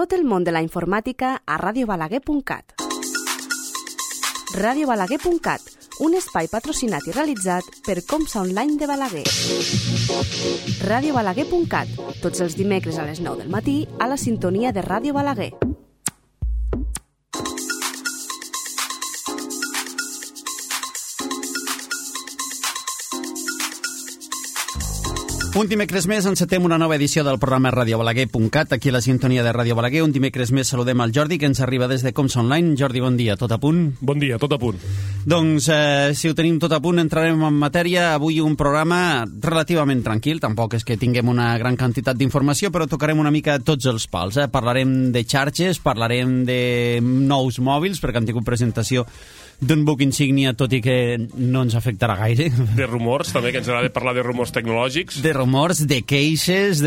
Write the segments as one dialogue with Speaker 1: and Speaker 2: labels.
Speaker 1: Tot el món de la informàtica a radiobalaguer.cat. radiobalaguer.cat, un espai patrocinat i realitzat per Comsa Online de Balaguer. radiobalaguer.cat, tots els dimecres a les 9 del matí a la sintonia de Ràdio Balaguer.
Speaker 2: Un dimecres més encetem una nova edició del programa radiobalaguer.cat, aquí a la sintonia de Ràdio Balaguer. Un dimecres més saludem al Jordi, que ens arriba des de Comsa Online. Jordi, bon dia, tot a punt?
Speaker 3: Bon dia, tot a punt.
Speaker 2: Doncs, si ho tenim tot a punt, entrarem en matèria. Avui un programa relativament tranquil, tampoc és que tinguem una gran quantitat d'informació, però tocarem una mica tots els pals. Parlarem de xarxes, parlarem de nous mòbils, perquè han tingut presentació d'un buc insígnia, tot i que no ens afectarà gaire.
Speaker 3: De rumors, també, que ens agrada parlar de rumors tecnològics.
Speaker 2: De rumors, de queixes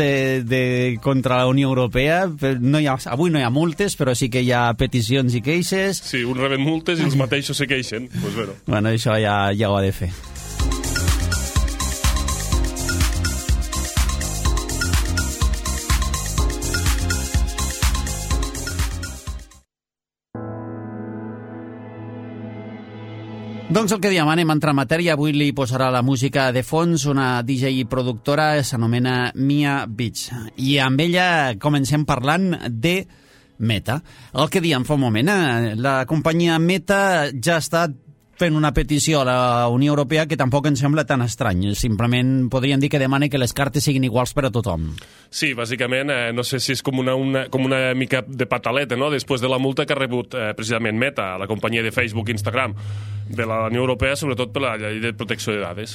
Speaker 2: contra la Unió Europea. Avui no hi ha multes, però sí que hi ha peticions i queixes.
Speaker 3: Sí, uns reben multes i els mateixos se queixen. Pues
Speaker 2: bueno, això ja ho ha de fer. Doncs el que diem, anem a entrar en matèria. Avui li posarà la música de fons una DJ i productora, s'anomena Mia Beach. I amb ella comencem parlant de Meta. El que diem fa un moment, la companyia Meta ja ha estat fent una petició a la Unió Europea que tampoc ens sembla tan estrany. Simplement podríem dir que demana que les cartes siguin iguals per a tothom.
Speaker 3: Sí, bàsicament, no sé si és com una mica de pataleta, no?, després de la multa que ha rebut precisament Meta, la companyia de Facebook i Instagram, de la Unió Europea, sobretot per la llei de protecció de dades.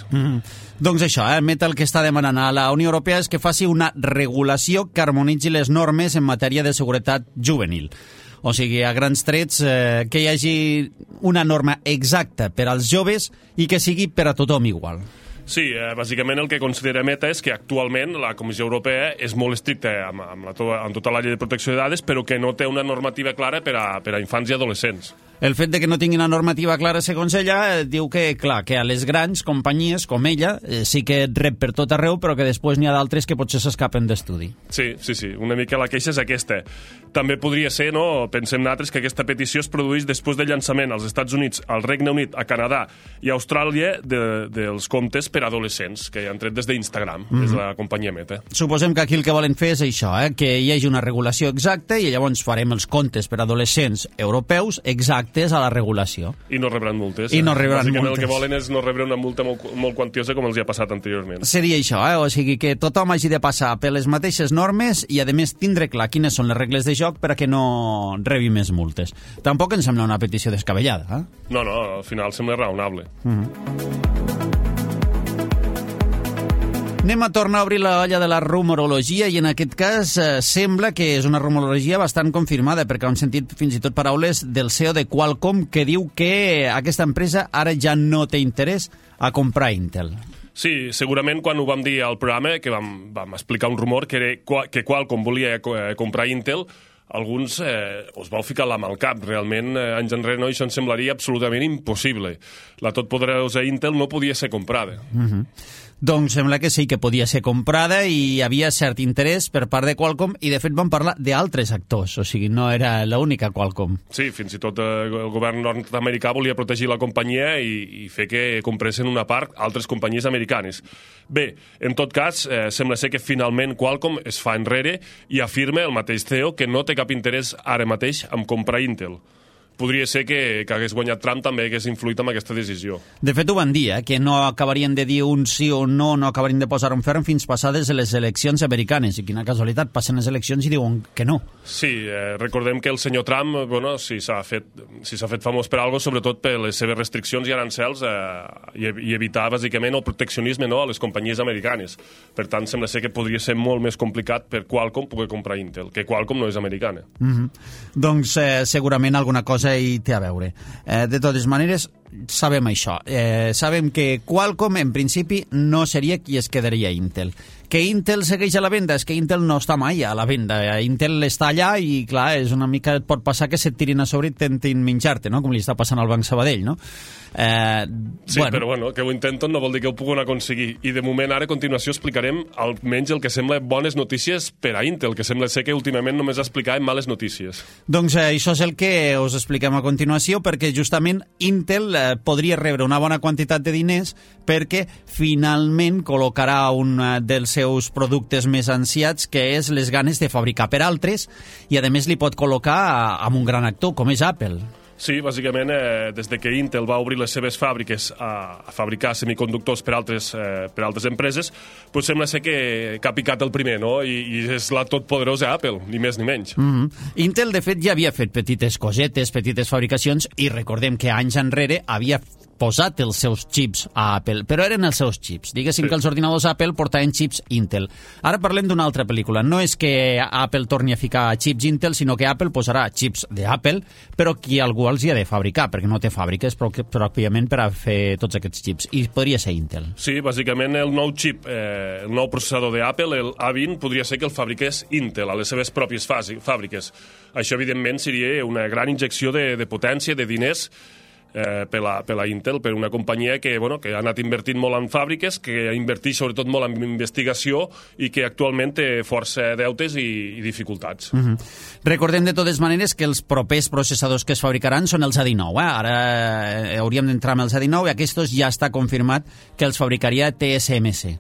Speaker 2: Doncs això, Meta el que està demanant a la Unió Europea és que faci una regulació que harmonitzi les normes en matèria de seguretat juvenil. O sigui, a grans trets, que hi hagi una norma exacta per als joves i que sigui per a tothom igual.
Speaker 3: Sí, bàsicament el que considera Meta és que actualment la Comissió Europea és molt estricta amb tota la llei de protecció de dades, però que no té una normativa clara per a infants i adolescents.
Speaker 2: El fet de que no tingui una normativa clara, segons ella, diu que, clar, que a les grans companyies, com ella, sí que rep per tot arreu, però que després n'hi ha d'altres que potser s'escapen d'estudi.
Speaker 3: Sí, una mica la queixa és aquesta. També podria ser, no?, pensem nosaltres, que aquesta petició es produeix després del llançament als Estats Units, al Regne Unit, a Canadà i a Austràlia dels comptes per adolescents, que han tret des d'Instagram, des de la companyia Meta.
Speaker 2: Suposem que aquí el que volen fer és això, que hi hagi una regulació exacta i llavors farem els comptes per adolescents europeus exactes a la regulació.
Speaker 3: I no rebran multes.
Speaker 2: I no rebran
Speaker 3: Bàsicament
Speaker 2: multes.
Speaker 3: El que volen és no rebre una multa molt quantiosa com els hi ha passat anteriorment.
Speaker 2: Seria això, o sigui que tothom hagi de passar per les mateixes normes i, a més, tindre clar quines són les regles de joc per a que no rebi més multes. Tampoc em sembla una petició descabellada.
Speaker 3: No, al final sembla raonable.
Speaker 2: Anem a tornar a obrir la olla de la rumorologia i en aquest cas sembla que és una rumorologia bastant confirmada perquè hem sentit fins i tot paraules del CEO de Qualcomm que diu que aquesta empresa ara ja no té interès a comprar Intel.
Speaker 3: Sí, segurament quan ho vam dir al programa, que vam explicar un rumor que Qualcomm volia comprar Intel, alguns us vau ficar la mà al cap. Realment, anys enrere, això ens semblaria absolutament impossible. La totpoderosa Intel no podia ser comprada.
Speaker 2: Doncs sembla que sí que podia ser comprada i hi havia cert interès per part de Qualcomm i de fet van parlar d'altres actors, o sigui, no era l'única Qualcomm.
Speaker 3: Sí, fins i tot el govern nord-americà volia protegir la companyia i fer que compressin una part altres companyies americanes. Bé, en tot cas, sembla ser que finalment Qualcomm es fa enrere i afirma el mateix CEO que no té cap interès ara mateix en comprar Intel. Podria ser que hagués guanyat Trump també hagués influït en aquesta decisió.
Speaker 2: De fet, ho van dir, que no acabarien de dir un sí o no acabarien de posar un ferm fins passades les eleccions americanes. I quina casualitat, passen les eleccions i diuen que no.
Speaker 3: Sí, recordem que el senyor Trump, si s'ha fet famós per alguna cosa, sobretot per les seves restriccions i arancels i evitar, bàsicament, el proteccionisme a les companyies americanes. Per tant, sembla ser que podria ser molt més complicat per Qualcomm poder comprar Intel, que Qualcomm no és americana.
Speaker 2: Doncs segurament alguna cosa hi té a veure. De totes maneres, sabem això. Sabem que Qualcomm, en principi, no seria qui es quedaria a Intel. Que Intel segueix a la venda, és que Intel no està mai a la venda. Intel està allà i, clar, és una mica... Et pot passar que se't tirin a sobre i intentin menjar-te, no? Com li està passant al Banc Sabadell, no?
Speaker 3: Sí, bueno. Però bueno, que ho intenten no vol dir que ho puguin aconseguir. I de moment, ara, a continuació, explicarem almenys el que sembla bones notícies per a Intel, que sembla ser que últimament només explicàvem males notícies.
Speaker 2: Doncs això és el que us expliquem a continuació, perquè justament Intel podria rebre una bona quantitat de diners perquè finalment col·locarà un dels seus productes més ansiats, que és les ganes de fabricar per altres, i a més li pot col·locar amb un gran actor, com és Apple.
Speaker 3: Sí, bàsicament, des de que Intel va obrir les seves fàbriques a fabricar semiconductors per altres empreses, doncs sembla ser que ha picat el primer, no? I és la totpoderosa Apple, ni més ni menys.
Speaker 2: Intel, de fet, ja havia fet petites cosetes, petites fabricacions, i recordem que anys enrere havia posat els seus xips a Apple, però eren els seus xips. Diguéssim que els ordinadors Apple portaven xips Intel. Ara parlem d'una altra pel·lícula. No és que Apple torni a ficar xips Intel, sinó que Apple posarà xips d'Apple, però qui algú els hi ha de fabricar, perquè no té fàbriques pròpiament per a fer tots aquests xips. I podria ser Intel.
Speaker 3: Sí, bàsicament el nou xip, el nou processador d'Apple, el A20, podria ser que el fabriqués Intel a les seves pròpies fàbriques. Això, evidentment, seria una gran injecció de potència, de diners, per a Intel, per una companyia que ha anat invertint molt en fàbriques, que inverteix sobretot molt en investigació i que actualment té força deutes i dificultats.
Speaker 2: Recordem de totes maneres que els propers processadors que es fabricaran són els A19. Ara hauríem d'entrar amb els A19 i aquests ja està confirmat que els fabricaria TSMC.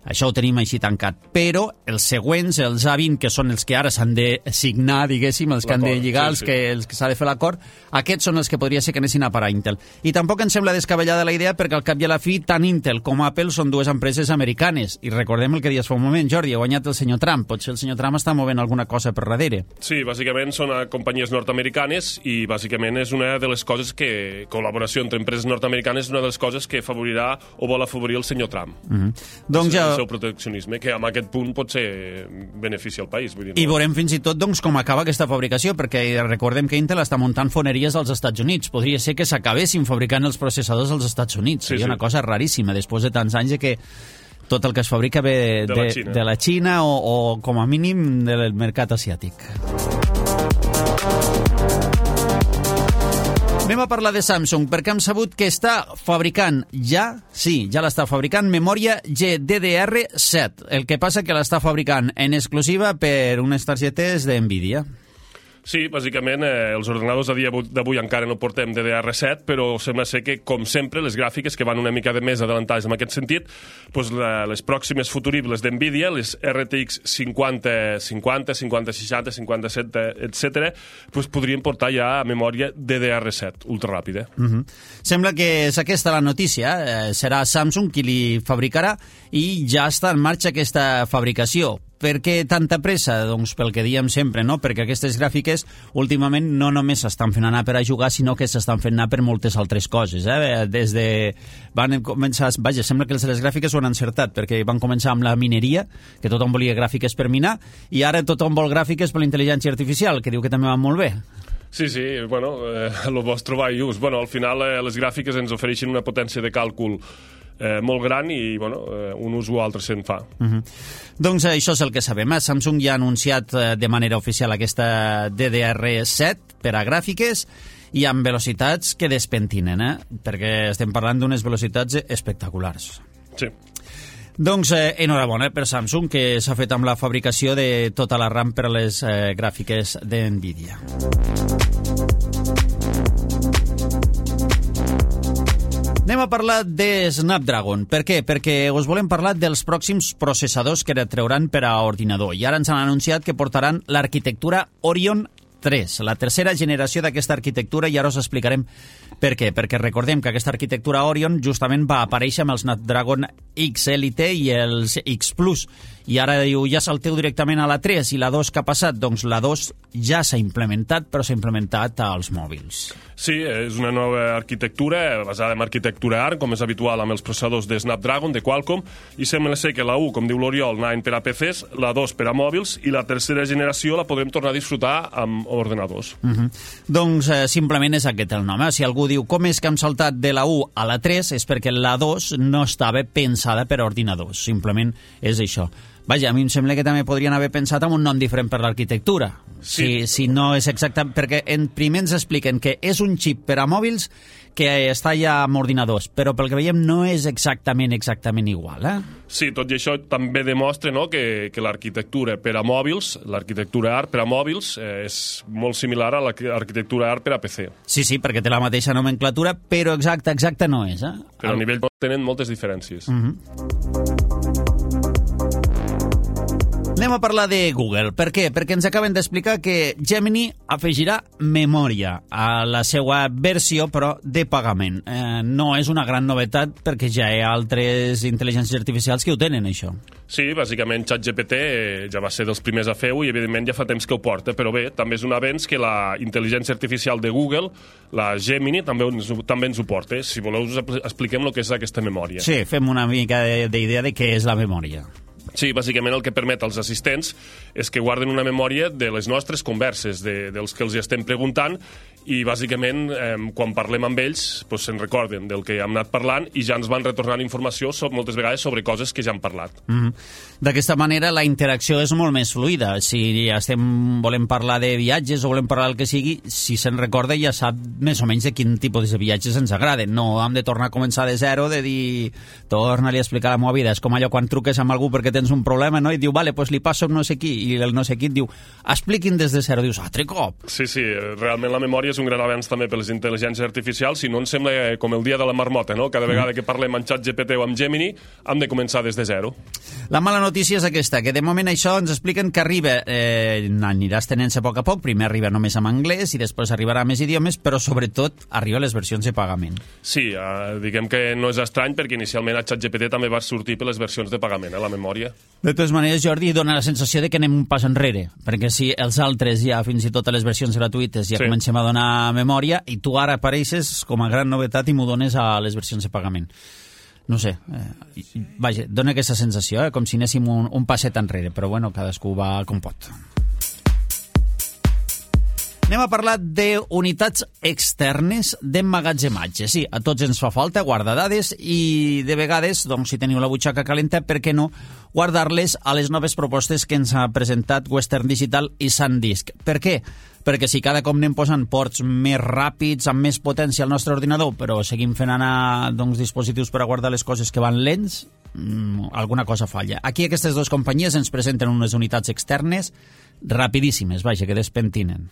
Speaker 2: Això ho tenim així tancat. Però els següents, els A20, que són els que ara s'han de signar, diguéssim, els que han de lligar, els que s'ha de fer l'acord, aquests són els que podria ser que anessin a parar a Intel. I tampoc ens sembla descabellada la idea, perquè al cap i a la fi, tant Intel com Apple són dues empreses americanes. I recordem el que dius fa un moment, Jordi, ha guanyat el senyor Trump. Potser el senyor Trump està movent alguna cosa per darrere.
Speaker 3: Sí, bàsicament són companyies nord-americanes i bàsicament és una de les coses que, col·laboració entre empreses nord-americanes, és una de les coses que afavorirà o vol afavorir el senyor Trump.
Speaker 2: Doncs ja...
Speaker 3: el seu proteccionisme, que amb aquest punt pot ser benefici al país. Vull dir, no?
Speaker 2: I veurem fins i tot com acaba aquesta fabricació, perquè recordem que Intel està muntant foneries als Estats Units. Podria ser que s'acabessin fabricant els processadors als Estats Units. Seria una cosa raríssima, després de tants anys de que tot el que es fabrica ve de la Xina o com a mínim del mercat asiàtic. Anem a parlar de Samsung, perquè hem sabut que està fabricant ja l'està fabricant, memòria GDDR7. El que passa que l'està fabricant en exclusiva per unes targetes d'NVIDIA.
Speaker 3: Sí, bàsicament, els ordenadors a dia d'avui encara no portem DDR7, però sembla ser que, com sempre, les gràfiques que van una mica de més adelantades en aquest sentit, doncs les pròximes futuribles d'NVIDIA, les RTX 50, 60, 57, etc., doncs podrien portar ja a memòria DDR7, ultraràpida.
Speaker 2: Sembla que és aquesta la notícia. Serà Samsung qui li fabricarà i ja està en marxa aquesta fabricació. Per què tanta pressa? Doncs pel que diem sempre, no? Perquè aquestes gràfiques últimament no només s'estan fent anar per a jugar, sinó que s'estan fent anar per moltes altres coses. Des de... van començar... Vaja, sembla que les gràfiques ho han encertat, perquè van començar amb la mineria, que tothom volia gràfiques per minar, i ara tothom vol gràfiques per la intel·ligència artificial, que diu que també van molt bé.
Speaker 3: Sí, bueno, el vols trobar just. Bueno, al final les gràfiques ens ofereixen una potència de càlcul molt gran i un ús o altre se'n fa.
Speaker 2: Doncs això és el que sabem. Samsung ja ha anunciat de manera oficial aquesta DDR7 per a gràfiques i amb velocitats que despentinen, perquè estem parlant d'unes velocitats espectaculars.
Speaker 3: Sí.
Speaker 2: Doncs enhorabona per Samsung, que s'ha fet amb la fabricació de tota la RAM per a les gràfiques d'NVIDIA. Anem a parlar de Snapdragon. Per què? Perquè us volem parlar dels pròxims processadors que trauran per a ordinador. I ara ens han anunciat que portaran l'arquitectura Orion 3, la tercera generació d'aquesta arquitectura, i ara us explicarem per què. Perquè recordem que aquesta arquitectura Orion justament va aparèixer amb el Snapdragon X Elite i els X Plus. I ara diu, ja salteu directament a la 3, i la 2 que ha passat? Doncs la 2 ja s'ha implementat, però s'ha implementat als mòbils.
Speaker 3: Sí, és una nova arquitectura basada en arquitectura ARM, com és habitual amb els processadors de Snapdragon, de Qualcomm, i sembla ser que la 1, com diu l'Oriol, anaven per a PCs, la 2 per a mòbils, i la tercera generació la podrem tornar a disfrutar amb ordenadors.
Speaker 2: Doncs simplement és aquest el nom. Si algú diu com és que hem saltat de la 1 a la 3 és perquè la 2 no estava pensada per a ordinadors. Simplement és això. Vaja, a mi em sembla que també podrien haver pensat en un nom diferent per l'arquitectura.
Speaker 3: Sí.
Speaker 2: Si no és exacte... Perquè primer ens expliquen que és un xip per a mòbils que està ja amb ordinadors, però pel que veiem no és exactament igual,
Speaker 3: Sí, tot i això també demostra, no, que l'arquitectura per a mòbils, l'arquitectura ARP per a mòbils, és molt similar a l'arquitectura ARP per a PC.
Speaker 2: Sí, perquè té la mateixa nomenclatura, però exacte no és.
Speaker 3: Però a nivell tenen moltes diferències.
Speaker 2: Anem a parlar de Google. Per què? Perquè ens acaben d'explicar que Gemini afegirà memòria a la seva versió, però de pagament. No és una gran novetat perquè ja hi ha altres intel·ligències artificials que ho tenen, això.
Speaker 3: Sí, bàsicament ChatGPT ja va ser dels primers a fer-ho i evidentment ja fa temps que ho porta, però bé, també és un avenç que la intel·ligència artificial de Google, la Gemini, també ens ho porta. Si voleu us expliquem el que és aquesta memòria.
Speaker 2: Sí, fem una mica d'idea de què és la memòria.
Speaker 3: Sí, bàsicament el que permet als assistents és que guarden una memòria de les nostres converses, dels que els estem preguntant, i bàsicament quan parlem amb ells se'n recorden del que hem anat parlant i ja ens van retornant informació moltes vegades sobre coses que ja hem parlat.
Speaker 2: D'aquesta manera la interacció és molt més fluida. Si volem parlar de viatges o volem parlar del que sigui, si se'n recorda ja sap més o menys de quin tipus de viatges ens agraden. No hem de tornar a començar de zero, de dir torna-li a explicar la meva vida. És com allò quan truques amb algú perquè tens un problema, no? I diu, vale, pues li passo no sé qui, i el no sé qui et diu, expliquin des de zero. Dius, altre cop.
Speaker 3: Sí, realment la memòria és un gran avenç també per les intel·ligències artificials, si no ens sembla com el dia de la marmota, no? Cada vegada que parlem amb ChatGPT o amb Gemini hem de començar des de zero.
Speaker 2: La mala notícia és aquesta, que de moment això ens expliquen que arriba, anirà estenent-se a poc, primer arriba només en anglès i després arribarà a més idiomes, però sobretot arriba a les versions de pagament.
Speaker 3: Sí, diguem que no és estrany perquè inicialment a ChatGPT també va sortir per les versions de pagament, la memòria.
Speaker 2: De totes maneres, Jordi, dona la sensació de que anem un pas enrere, perquè si els altres ja, fins i tot a les versions gratuïtes, ja comencem a donar memòria, i tu ara apareixes com a gran novetat i m'ho dones a les versions de pagament. No sé, vaja, dona aquesta sensació, com si anéssim un passet enrere, però bueno, cadascú va com pot. Anem a parlar d'unitats externes d'emmagatzematge. Sí, a tots ens fa falta guardar dades i de vegades, doncs, si teniu la butxaca calenta, per què no guardar-les a les noves propostes que ens ha presentat Western Digital i SanDisk. Per què? Perquè si cada cop anem posant ports més ràpids, amb més potència al nostre ordinador, però seguim fent anar dispositius per a guardar les coses que van lents, alguna cosa falla. Aquí aquestes dues companyies ens presenten unes unitats externes rapidíssimes, vaja, que despentinen.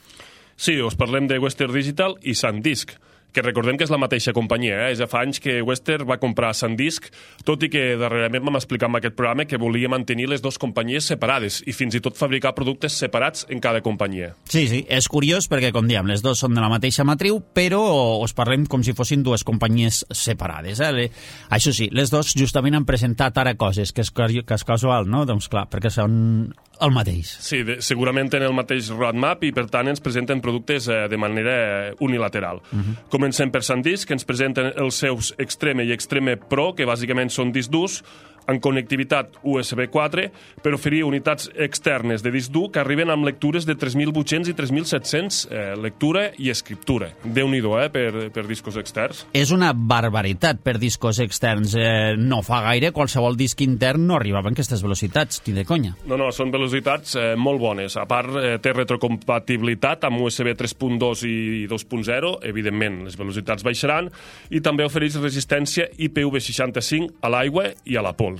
Speaker 3: Sí, us parlem de Western Digital i SanDisk, que recordem que és la mateixa companyia. Ja fa anys que Western va comprar SanDisk, tot i que darrerament vam explicar en aquest programa que volia mantenir les dues companyies separades i fins i tot fabricar productes separats en cada companyia.
Speaker 2: Sí, és curiós perquè, com diem, les dues són de la mateixa matriu, però us parlem com si fossin dues companyies separades. Això sí, les dues justament han presentat ara coses, que és casual, no? Doncs clar, perquè són el mateix.
Speaker 3: Sí, segurament tenen el mateix roadmap i per tant ens presenten productes de manera unilateral. Comencem per SanDisk, que ens presenten els seus Extreme i Extreme Pro, que bàsicament són discs durs amb connectivitat USB 4 per oferir unitats externes de disc dur que arriben amb lectures de 3.800 i 3.700 lectura i escriptura. Déu-n'hi-do, per discos externs.
Speaker 2: És una barbaritat per discos externs. No fa gaire qualsevol disc intern no arribava a aquestes velocitats, ni de conya.
Speaker 3: No, són velocitats molt bones. A part, té retrocompatibilitat amb USB 3.2 i 2.0, evidentment, les velocitats baixaran, i també ofereix resistència IPv65 a l'aigua i a la pols.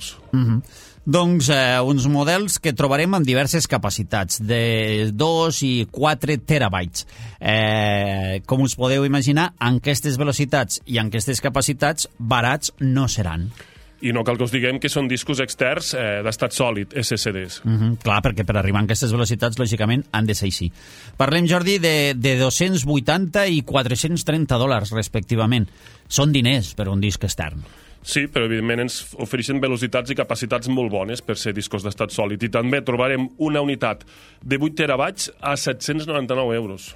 Speaker 2: Doncs uns models que trobarem amb diverses capacitats, de 2 i 4 terabytes. Com us podeu imaginar, amb aquestes velocitats i amb aquestes capacitats, barats no seran.
Speaker 3: I no cal que us diguem que són discos externs d'estat sòlid, SSDs.
Speaker 2: Clar, perquè per arribar a aquestes velocitats, lògicament, han de ser així. Parlem, Jordi, de 280 i 430 dòlars, respectivament. Són diners per un disc extern.
Speaker 3: Sí, però evidentment ens ofereixen velocitats i capacitats molt bones per ser discos d'estat sòlid. I també trobarem una unitat de 8 terabytes a 799 euros.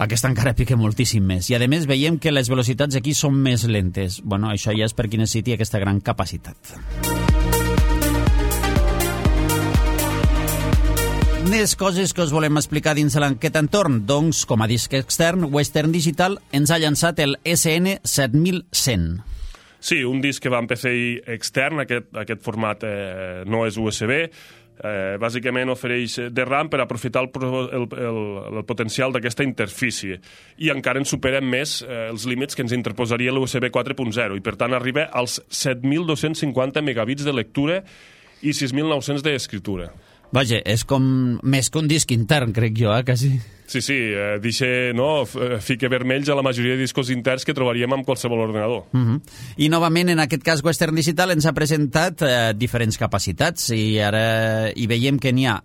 Speaker 2: Aquesta encara pica moltíssim més. I a més veiem que les velocitats aquí són més lentes. Bueno, això ja és per qui necessiti aquesta gran capacitat. Més coses que us volem explicar dins de l'enquesta entorn. Doncs, com a disc extern, Western Digital ens ha llançat el SN7100.
Speaker 3: Sí, un disc que va en PCI extern, aquest format no és USB, bàsicament ofereix de RAM per aprofitar el potencial d'aquesta interfície i encara en superen més els límits que ens interposaria l'USB 4.0 i per tant arriba als 7.250 megabits de lectura i 6.900 d'escriptura.
Speaker 2: Vaja, és com més que un disc intern, crec jo, quasi.
Speaker 3: Sí, deixa, no, fique vermells a la majoria de discos interns que trobaríem amb qualsevol ordenador.
Speaker 2: I novament, en aquest cas, Western Digital ens ha presentat diferents capacitats i ara hi veiem que n'hi ha.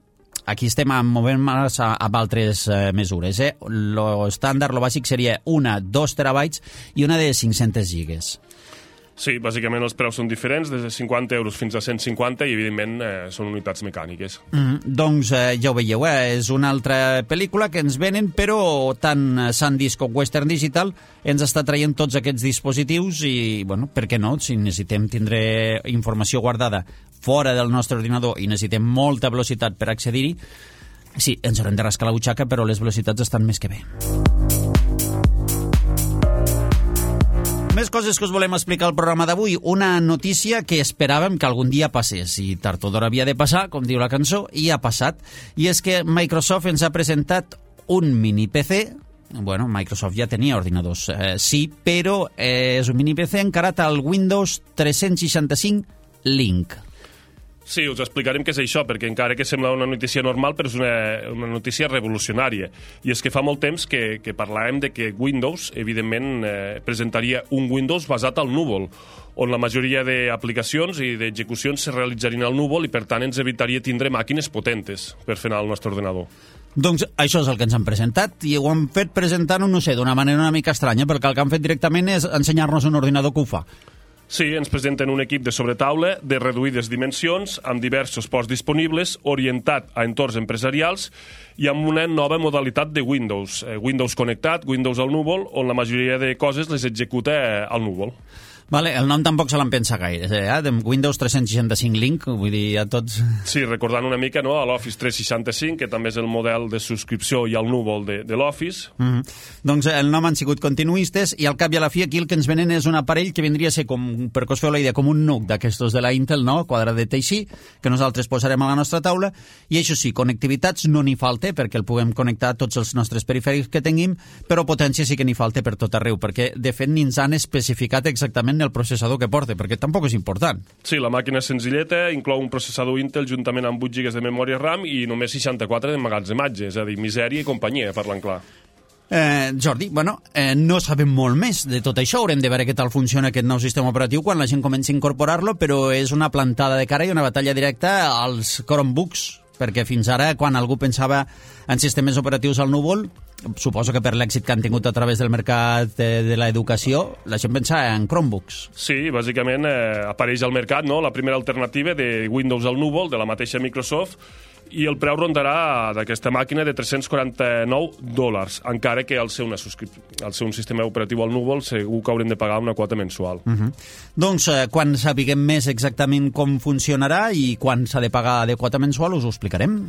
Speaker 2: Aquí estem movent-nos amb altres mesures. Lo estàndard, lo bàsic, seria una 2 terabytes i una de 500 gigas.
Speaker 3: Sí, bàsicament els preus són diferents, des de 50 euros fins a 150 i, evidentment, són unitats mecàniques.
Speaker 2: Doncs ja ho veieu, és una altra pel·lícula que ens venen, però tant SanDisk com Western Digital ens està traient tots aquests dispositius i, bueno, per què no? Si necessitem tindre informació guardada fora del nostre ordinador i necessitem molta velocitat per accedir-hi, sí, ens haurem de rascar la butxaca, però les velocitats estan més que bé. Més coses que us volem explicar al programa d'avui. Una notícia que esperàvem que algun dia passés, i tard o d'hora havia de passar, com diu la cançó, i ha passat. I és que Microsoft ens ha presentat un mini PC. Bueno, Microsoft ja tenia ordinadors, sí, però és un mini PC encarat al Windows 365 Link.
Speaker 3: Sí, us explicarem què és això, perquè encara que sembla una notícia normal, però és una notícia revolucionària. I és que fa molt temps que parlàvem de que Windows, evidentment, presentaria un Windows basat al núvol, on la majoria d'aplicacions i d'execucions se realitzarien al núvol i, per tant, ens evitaria tindre màquines potentes per fer anar al nostre ordenador.
Speaker 2: Doncs això és el que ens han presentat, i ho han fet presentant-ho, no sé, d'una manera una mica estranya, perquè el que han fet directament és ensenyar-nos un ordinador que ho fa.
Speaker 3: Sí, ens presenten un equip de sobretaula de reduïdes dimensions, amb diversos ports disponibles, orientat a entorns empresarials i amb una nova modalitat de Windows. Windows connectat, Windows al núvol, on la majoria de coses les executa al núvol.
Speaker 2: Vale, el nom tampoc se l'en pensa gaire, de Windows 365 Link, vull dir, a tots...
Speaker 3: Sí, recordant una mica, no?, a l'Office 365, que també és el model de subscripció i al núvol de l'Office.
Speaker 2: Doncs el nom han sigut continuistes i al cap i a la fi aquí el que ens venen és un aparell que vindria a ser, com, perquè us feu la idea, com un NUC d'aquestos de la Intel, no?, quadradet així, que nosaltres posarem a la nostra taula, i això sí, connectivitats no n'hi falta, perquè el puguem connectar a tots els nostres perifèrics que tinguem, però potència sí que n'hi falta per tot arreu, perquè de fet ni ens han especificat exactament el processador que porta, perquè tampoc és important.
Speaker 3: Sí, la màquina és senzilleta, inclou un processador Intel juntament amb 8 GB de memòria RAM i només 64 d'emmagatzematge, és a dir, misèria i companyia, parlant clar.
Speaker 2: Jordi, bueno, no sabem molt més de tot això, haurem de veure què tal funciona aquest nou sistema operatiu quan la gent comenci a incorporar-lo, però és una plantada de cara i una batalla directa als Chromebooks, perquè fins ara, quan algú pensava en sistemes operatius al núvol, suposo que per l'èxit que han tingut a través del mercat de l'educació, la gent pensa en Chromebooks.
Speaker 3: Sí, bàsicament apareix al mercat, no?, la primera alternativa de Windows al núvol, de la mateixa Microsoft, i el preu rondarà d'aquesta màquina de $349, encara que al ser un sistema operatiu al núvol segur que haurem de pagar una quota mensual.
Speaker 2: Doncs quan sapiguem més exactament com funcionarà i quan s'ha de pagar de quota mensual us ho explicarem.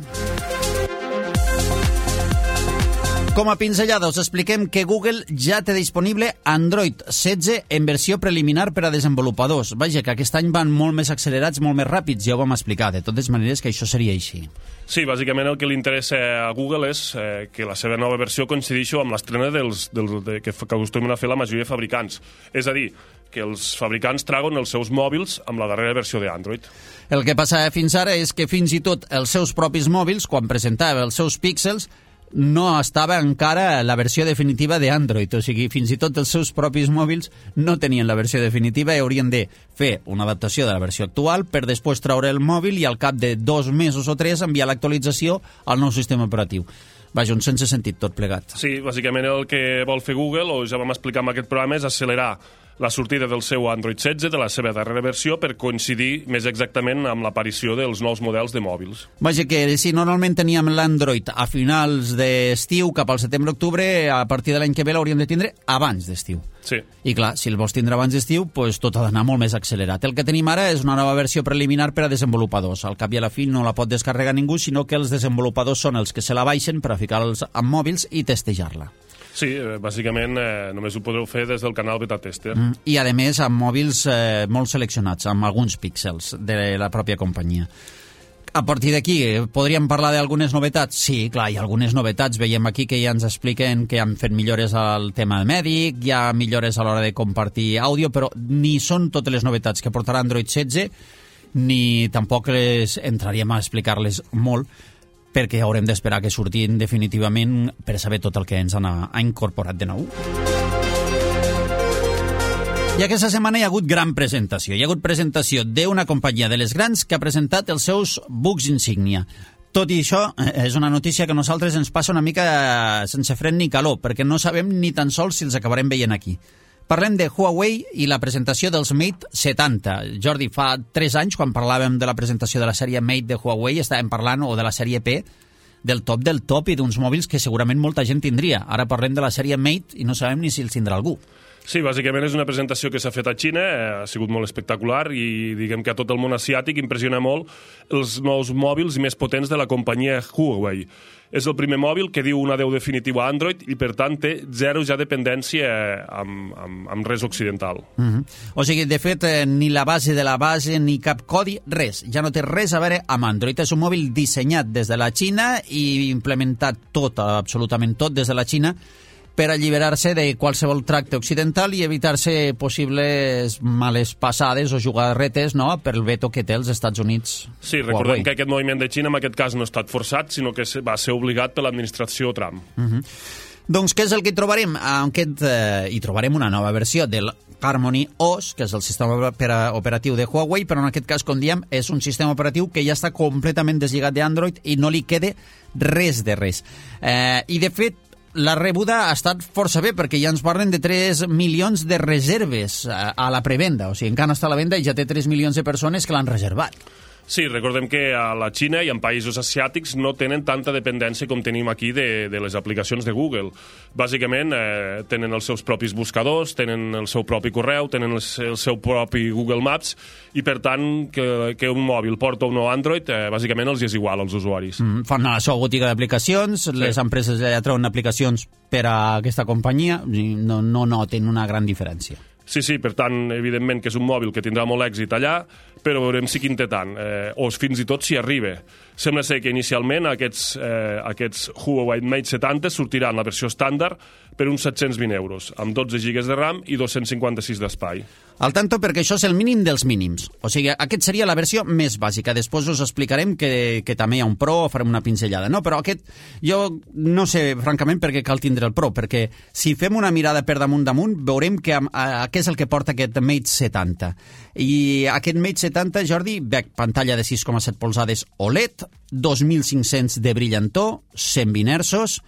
Speaker 2: Com a pinzellada us expliquem que Google ja té disponible Android 16 en versió preliminar per a desenvolupadors. Vaja, que aquest any van molt més accelerats, molt més ràpids, ja ho vam explicar. De totes maneres que això seria així.
Speaker 3: Sí, bàsicament el que li interessa a Google és que la seva nova versió coincideixi amb l'estrena que acostumen a fer la majoria de fabricants. És a dir, que els fabricants traguen els seus mòbils amb la darrera versió d'Android.
Speaker 2: El que passa fins ara és que fins i tot els seus propis mòbils, quan presentava els seus píxels, no estava encara la versió definitiva d'Android, o sigui, fins i tot els seus propis mòbils no tenien la versió definitiva i haurien de fer una adaptació de la versió actual per després treure el mòbil i al cap de 2 mesos o 3 enviar l'actualització al nou sistema operatiu. Vaja, un sense sentit tot plegat.
Speaker 3: Sí, bàsicament el que vol fer Google, o ja vam explicar en aquest programa, és accelerar la sortida del seu Android 16, de la seva darrera versió, per coincidir més exactament amb l'aparició dels nous models de mòbils.
Speaker 2: Vaja, que si normalment teníem l'Android a finals d'estiu, cap al setembre-octubre, a partir de l'any que ve l'hauríem de tindre abans d'estiu.
Speaker 3: Sí.
Speaker 2: I clar, si el vols tindre abans d'estiu, pues tot ha d'anar molt més accelerat. El que tenim ara és una nova versió preliminar per a desenvolupadors. Al cap i a la fi no la pot descarregar ningú, sinó que els desenvolupadors són els que se la baixen per a ficar-los en mòbils i testejar-la.
Speaker 3: Sí, bàsicament només ho podreu fer des del canal Beta Tester.
Speaker 2: I, a més, amb mòbils molt seleccionats, amb alguns píxels de la pròpia companyia. A partir d'aquí, podríem parlar d'algunes novetats? Sí, clar, hi ha algunes novetats. Veiem aquí que ja ens expliquen que han fet millores al tema mèdic, hi ha millores a l'hora de compartir àudio, però ni són totes les novetats que portarà Android 16, ni tampoc entraríem a explicar-les molt, perquè haurem d'esperar que surtin definitivament per saber tot el que ens ha incorporat de nou. I aquesta setmana hi ha hagut gran presentació. Hi ha hagut presentació d'una companyia de les grans que ha presentat els seus bucs insígnia. Tot i això, és una notícia que a nosaltres ens passa una mica sense fred ni calor, perquè no sabem ni tan sols si els acabarem veient aquí. Parlem de Huawei i la presentació dels Mate 70. Jordi, fa 3 anys, quan parlàvem de la presentació de la sèrie Mate de Huawei, estàvem parlant, o de la sèrie P, del top i d'uns mòbils que segurament molta gent tindria. Ara parlem de la sèrie Mate i no sabem ni si els tindrà algú.
Speaker 3: Sí, bàsicament és una presentació que s'ha fet a Xina, ha sigut molt espectacular i diguem que a tot el món asiàtic impressiona molt els nous mòbils més potents de la companyia Huawei. És el primer mòbil que diu un adeu definitiu a Android i, per tant, té zero ja dependència amb res occidental.
Speaker 2: O sigui, de fet, ni la base de la base ni cap codi, res. Ja no té res a veure amb Android. És un mòbil dissenyat des de la Xina i implementat tot, absolutament tot, des de la Xina, per alliberar-se de qualsevol tracte occidental i evitar-se possibles males passades o jugarretes, no?, per el veto que té els Estats Units.
Speaker 3: Sí, recordem que aquest moviment de Xina en aquest cas no ha estat forçat, sinó que va ser obligat per l'administració Trump.
Speaker 2: Doncs què és el que hi trobarem? Hi trobarem una nova versió del Harmony OS, que és el sistema operatiu de Huawei, però en aquest cas, com diem, és un sistema operatiu que ja està completament deslligat d'Android i no li queda res de res. I, de fet, la rebuda ha estat força bé, perquè ja ens parlen de 3 milions de reserves a la prevenda. O sigui, encara està a la venda i ja té 3 milions de persones que l'han reservat.
Speaker 3: Sí, recordem que a la Xina i en països asiàtics no tenen tanta dependència com tenim aquí de les aplicacions de Google. Bàsicament, tenen els seus propis buscadors, tenen el seu propi correu, tenen el seu propi Google Maps, i per tant, que un mòbil porta o no Android, bàsicament els és igual als usuaris.
Speaker 2: Fan la seva botiga d'aplicacions, les empreses ja treuen aplicacions per a aquesta companyia, no noten una gran diferència.
Speaker 3: Sí, per tant, evidentment que és un mòbil que tindrà molt èxit allà, però veurem si quin té tant, o fins i tot si arriba. Sembla ser que inicialment aquests Huawei Mate 70 sortiran la versió estàndard per uns 720 euros, amb 12 GB de RAM i 256 d'espai.
Speaker 2: Al tanto, perquè això és el mínim dels mínims. O sigui, aquest seria la versió més bàsica. Després us explicarem que també hi ha un Pro, farem una pinzellada, no? Però aquest, jo no sé, francament, per què cal tindre el Pro, perquè si fem una mirada per damunt, veurem què és el que porta aquest Mate 70. I aquest Mate 70, Jordi, pantalla de 6,7 polzades OLED, 2.500 de brillantor, 120 Hz,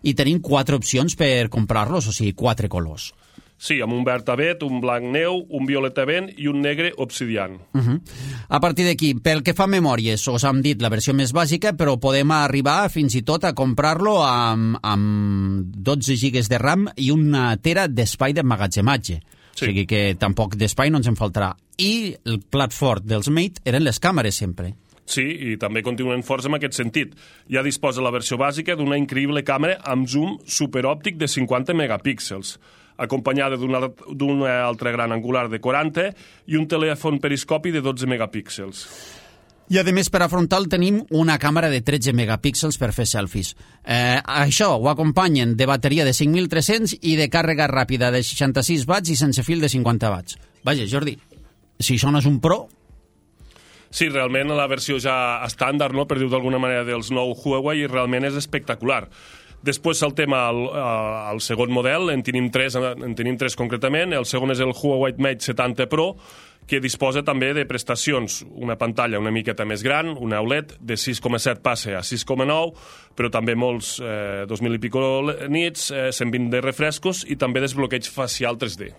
Speaker 2: i tenim 4 opcions per comprar-los, o sigui, 4 colors.
Speaker 3: Sí, amb un verd avet, un blanc neu, un violet vent i un negre obsidian.
Speaker 2: A partir d'aquí, pel que fa a memòries, us hem dit la versió més bàsica, però podem arribar fins i tot a comprar-lo amb 12 GB de RAM i una tera d'espai d'emmagatzematge. Sí. O sigui que tampoc d'espai no ens en faltarà. I el plat fort dels Mate eren les càmeres sempre.
Speaker 3: Sí, i també continuen forts en aquest sentit. Ja disposa la versió bàsica d'una increïble càmera amb zoom superòptic de 50 megapíxels, acompanyada d'un altre gran angular de 40 i un telèfon periscopi de 12 megapíxels.
Speaker 2: I, a més, per a frontal tenim una càmera de 13 megapíxels per fer selfies. Això ho acompanyen de bateria de 5.300 i de càrrega ràpida de 66 watts i sense fil de 50 watts. Vaja, Jordi, si això no és un Pro...
Speaker 3: Sí, realment la versió ja estàndard, no, per dir-ho d'alguna manera, dels nou Huawei, realment és espectacular. Després saltem al segon model, en tenim tres concretament. El segon és el Huawei Mate 70 Pro, que disposa també de prestacions, una pantalla una miqueta més gran, una OLED de 6,7 passa a 6,9, però també molts 2.000 i pico nits, 120 de refrescos i també desbloqueig facial 3D.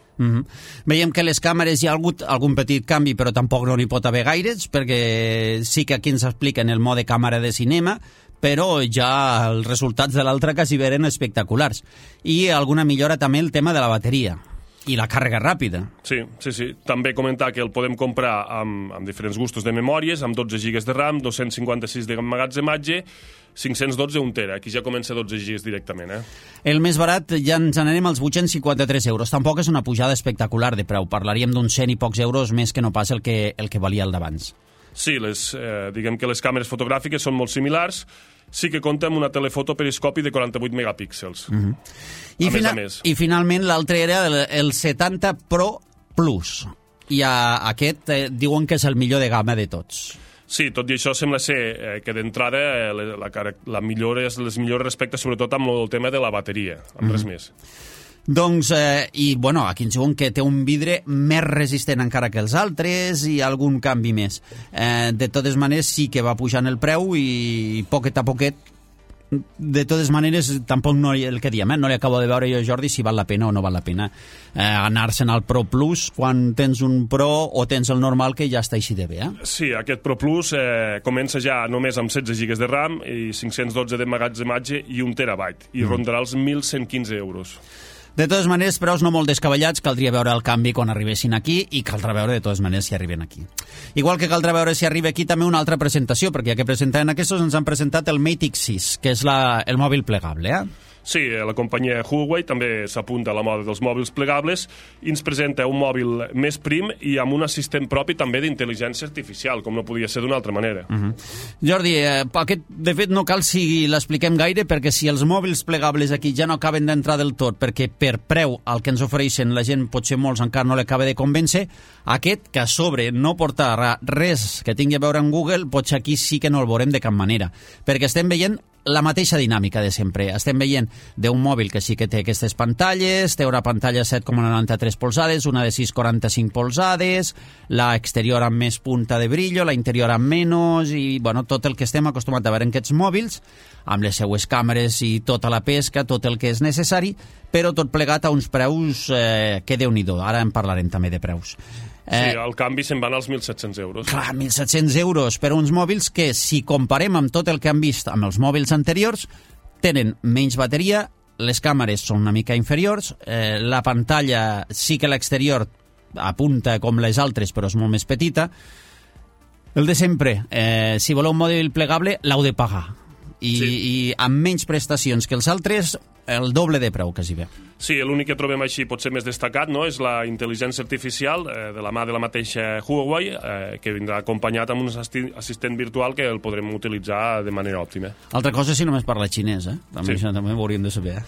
Speaker 2: Veiem que les càmeres hi ha hagut algun petit canvi, però tampoc no n'hi pot haver gaires, perquè sí que aquí ens expliquen el mode càmera de cinema, però ja els resultats de l'altra quasi eren espectaculars. I alguna millora també el tema de la bateria i la càrrega ràpida.
Speaker 3: Sí. També comentar que el podem comprar amb diferents gustos de memòries, amb 12 GB de RAM, 256 de emmagatzematge, 512 1 tera. Aquí ja comença 12 GB directament.
Speaker 2: El més barat ja ens n'anem als 853 euros. Tampoc és una pujada espectacular de preu. Parlaríem d'uns 100 i pocs euros més que no pas el que valia el d'abans.
Speaker 3: Sí, diguem que les càmeres fotogràfiques són molt similars. Sí que compta amb una telefoto periscopi de 48 megapíxels. A més.
Speaker 2: I finalment l'altre era el 70 Pro Plus. I aquest diuen que és el millor de gamma de tots.
Speaker 3: Sí, tot i això sembla ser que d'entrada les millores respecte sobretot amb el tema de la bateria, amb res més.
Speaker 2: Doncs, aquí ens diuen que té un vidre més resistent encara que els altres i algun canvi més. De totes maneres, sí que va pujant el preu i poquet a poquet, de totes maneres, tampoc no, el que diem, no li acabo de veure jo, Jordi, si val la pena o no val la pena anar-se'n al Pro Plus quan tens un Pro o tens el normal que ja està així de bé.
Speaker 3: Sí, aquest Pro Plus comença ja només amb 16 GB de RAM i 512 d'emmagatzematge i 1 terabyte i rondarà els 1.115 euros.
Speaker 2: De totes maneres, preus no molt descabellats, caldria veure el canvi quan arribessin aquí i caldrà veure de totes maneres si arriben aquí. Igual que caldrà veure si arriba aquí també una altra presentació, perquè ja que presentaven aquests ens han presentat el Mate X6, que és el mòbil plegable,
Speaker 3: Sí, la companyia Huawei també s'apunta a la moda dels mòbils plegables i ens presenta un mòbil més prim i amb un assistent propi també d'intel·ligència artificial, com no podia ser d'una altra manera.
Speaker 2: Jordi, aquest, de fet, no cal si l'expliquem gaire, perquè si els mòbils plegables aquí ja no acaben d'entrar del tot, perquè per preu el que ens ofereixen la gent, potser molts encara no l'acaba de convèncer, aquest, que a sobre no porta res que tingui a veure amb Google, potser aquí sí que no el veurem de cap manera, perquè estem veient la mateixa dinàmica de sempre. Estem veient d'un mòbil que sí que té aquestes pantalles, té una pantalla 7,93 polzades, una de 6,45 polzades, la exterior amb més punta de brillo, la interior amb menys, i tot el que estem acostumats a veure en aquests mòbils, amb les seues càmeres i tota la pesca, tot el que és necessari, però tot plegat a uns preus que Déu-n'hi-do. Ara en parlarem també de preus.
Speaker 3: Sí, el canvi se'n van als 1.700 euros.
Speaker 2: Clar, 1.700 euros per uns mòbils que, si comparem amb tot el que han vist amb els mòbils anteriors, tenen menys bateria, les càmeres són una mica inferiors, la pantalla sí que l'exterior apunta com les altres, però és molt més petita. El de sempre, si voleu un mòbil plegable, l'heu de pagar. I amb menys prestacions que els altres, el doble de preu, quasi bé.
Speaker 3: Sí, l'únic que trobem així potser més destacat és la intel·ligència artificial de la mà de la mateixa Huawei, que vindrà acompanyat amb un assistent virtual que el podrem utilitzar de manera òptima.
Speaker 2: Altra cosa si només parla xinès, també, això també ho hauríem de saber.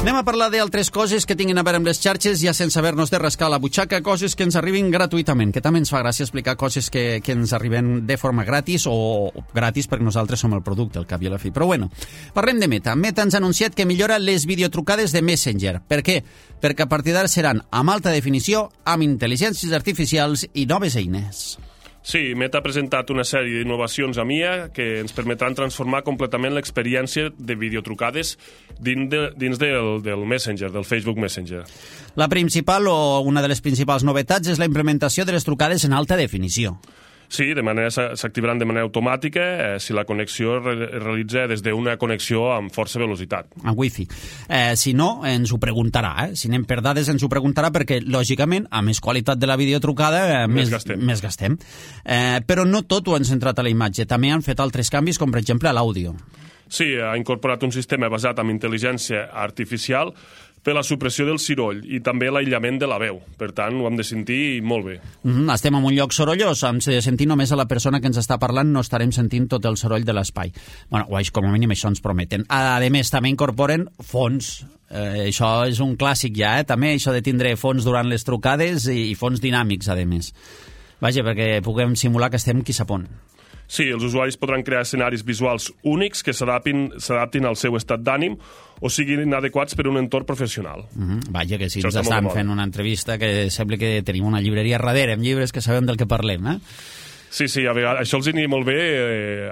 Speaker 2: Anem a parlar d'altres coses que tinguin a veure amb les xarxes, ja sense haver-nos de rascar la butxaca, coses que ens arribin gratuïtament, que també ens fa gràcia explicar coses que ens arriben de forma gratis o gratis perquè nosaltres som el producte, al cap i a la fi. Però bueno, parlem de Meta. Meta ens ha anunciat que millora les videotrucades de Messenger. Per què? Perquè a partir d'ara seran amb alta definició, amb intel·ligències artificials i noves eines.
Speaker 3: Sí, Meta ha presentat una sèrie d'innovacions a MIA que ens permetran transformar completament l'experiència de videotrucades dins del Messenger, del Facebook Messenger.
Speaker 2: La principal o una de les principals novetats és la implementació de les trucades en alta definició.
Speaker 3: Sí, s'activaran de manera automàtica si la connexió es realitza des d'una connexió amb força velocitat.
Speaker 2: Amb wifi. Si no, ens ho preguntarà. Si anem per dades, ens ho preguntarà perquè, lògicament, a més qualitat de la videotrucada, més gastem. Però no tot ho han centrat a la imatge. També han fet altres canvis, com per exemple a l'àudio.
Speaker 3: Sí, ha incorporat un sistema basat en intel·ligència artificial per la supressió del soroll i també l'aïllament de la veu. Per tant, ho hem de sentir molt bé.
Speaker 2: Estem en un lloc sorollós, hem de sentir només a la persona que ens està parlant, no estarem sentint tot el soroll de l'espai. Com a mínim això ens prometen. A més, també incorporen fons. Això és un clàssic ja, també, això de tindre fons durant les trucades i fons dinàmics, a més. Vaja, perquè puguem simular que estem qui sap on.
Speaker 3: Sí, els usuaris podran crear escenaris visuals únics que s'adaptin al seu estat d'ànim o siguin adequats per a un entorn professional.
Speaker 2: Vaja, que si ens estan fent una entrevista que sembla que tenim una llibreria darrere amb llibres que sabem del que parlem,
Speaker 3: Sí, a vegades, això els aniria molt bé,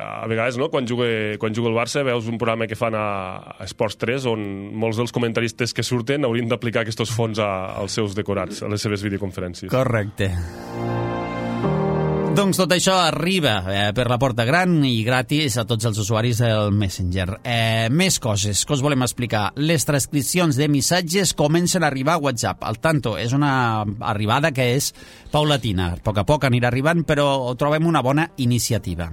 Speaker 3: a vegades, no? Quan juga el Barça, veus un programa que fan a Esports 3 on molts dels comentaristes que surten haurien d'aplicar aquests fons als seus decorats, a les seves videoconferències.
Speaker 2: Correcte. Doncs tot això arriba per la porta gran i gratis a tots els usuaris del Messenger. Més coses que us volem explicar. Les transcripcions de missatges comencen a arribar a WhatsApp. Al tanto, és una arribada que és paulatina. A poc anirà arribant, però trobem una bona iniciativa.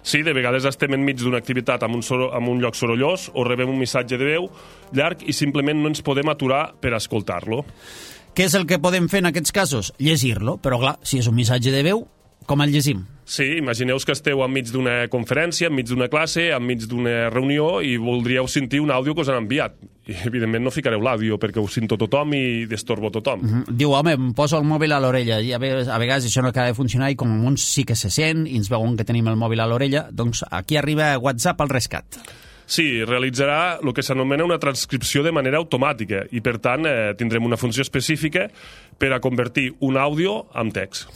Speaker 3: Sí, de vegades estem enmig d'una activitat en un lloc sorollós o rebem un missatge de veu llarg i simplement no ens podem aturar per escoltar-lo.
Speaker 2: Què és el que podem fer en aquests casos? Llegir-lo, però clar, si és un missatge de veu, com el llegim?
Speaker 3: Sí, imagineu que esteu enmig d'una conferència, enmig d'una classe, enmig d'una reunió i voldríeu sentir un àudio que us han enviat. I, evidentment, no ficareu l'àudio perquè ho sento tothom i destorbo tothom.
Speaker 2: Diu, home, em poso el mòbil a l'orella i a vegades això no acaba de funcionar i com uns sí que se sent i ens veuen que tenim el mòbil a l'orella, doncs aquí arriba WhatsApp al rescat.
Speaker 3: Sí, realitzarà el que s'anomena una transcripció de manera automàtica i, per tant, tindrem una funció específica per a convertir un àudio en text.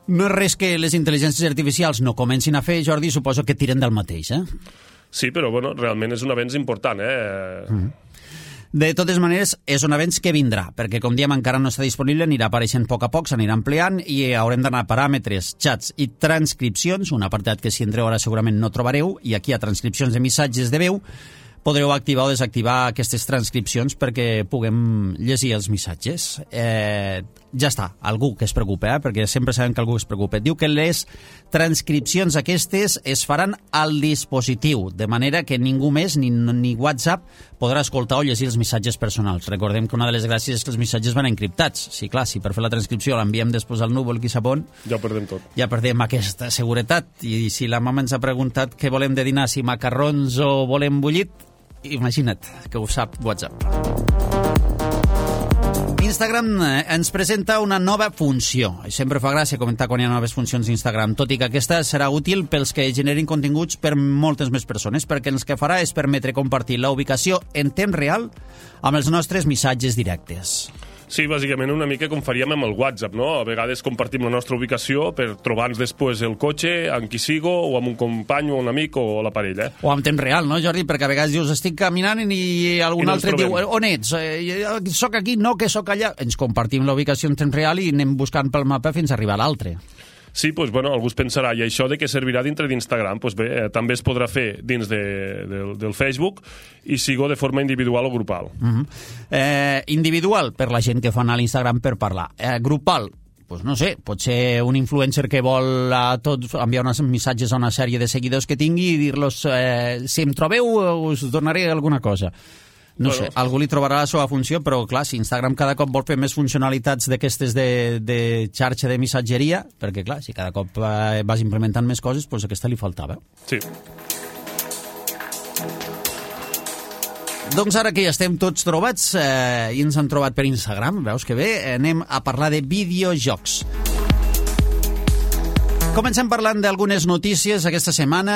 Speaker 2: No és res que les intel·ligències artificials no comencin a fer, Jordi, suposo que tiren del mateix,
Speaker 3: Sí, però bueno, realment és un avenç important,
Speaker 2: De totes maneres, és un avenç que vindrà, perquè, com diem, encara no està disponible, anirà apareixent a poc, s'anirà ampliant i haurem d'anar a paràmetres, xats i transcripcions, un apartat que si entreu ara segurament no trobareu, i aquí hi ha transcripcions de missatges de veu, podreu activar o desactivar aquestes transcripcions perquè puguem llegir els missatges. Ja està, algú que es preocupa, perquè sempre sabem que algú es preocupa. Diu que les transcripcions aquestes es faran al dispositiu, de manera que ningú més, ni WhatsApp, podrà escoltar o llegir els missatges personals. Recordem que una de les gràcies és que els missatges van encriptats. Sí, clar, si per fer la transcripció l'enviem després al núvol, qui sap on,
Speaker 3: ja ho perdem tot.
Speaker 2: Ja perdem aquesta seguretat. I si la mama ens ha preguntat què volem de dinar, si macarrons o volem bullit, imagina't que ho sap WhatsApp. Instagram ens presenta una nova funció. Sempre fa gràcia comentar quan hi ha noves funcions d'Instagram, tot i que aquesta serà útil pels que generin continguts per moltes més persones, perquè el que farà és permetre compartir la ubicació en temps real amb els nostres missatges directes.
Speaker 3: Sí, bàsicament una mica com faríem amb el WhatsApp, no? A vegades compartim la nostra ubicació per trobar-nos després el cotxe, amb qui sigo, o amb un company, o un amic, o la parella.
Speaker 2: O en temps real, no, Jordi? Perquè a vegades dius, estic caminant i algun altre diu, on ets? Soc aquí, no, que soc allà. Ens compartim la ubicació en temps real i anem buscant pel mapa fins a arribar a l'altre.
Speaker 3: Sí, doncs, bueno, algú es pensarà, i això de què servirà dintre d'Instagram? Doncs bé, també es podrà fer dins del Facebook i sigo de forma individual o grupal.
Speaker 2: Individual, per la gent que fa anar a l'Instagram per parlar. Grupal, doncs no sé, pot ser un influencer que vol a tots enviar uns missatges a una sèrie de seguidors que tingui i dir-los, si em trobeu us donaré alguna cosa. No sé, algú li trobarà la seva funció, però clar, si Instagram cada cop vol fer més funcionalitats d'aquestes de xarxa de missatgeria, perquè clar, si cada cop vas implementant més coses, doncs aquesta li faltava.
Speaker 3: Sí.
Speaker 2: Doncs ara que ja estem tots trobats i ens han trobat per Instagram, veus que bé, anem a parlar de videojocs. Comencem parlant d'algunes notícies. Aquesta setmana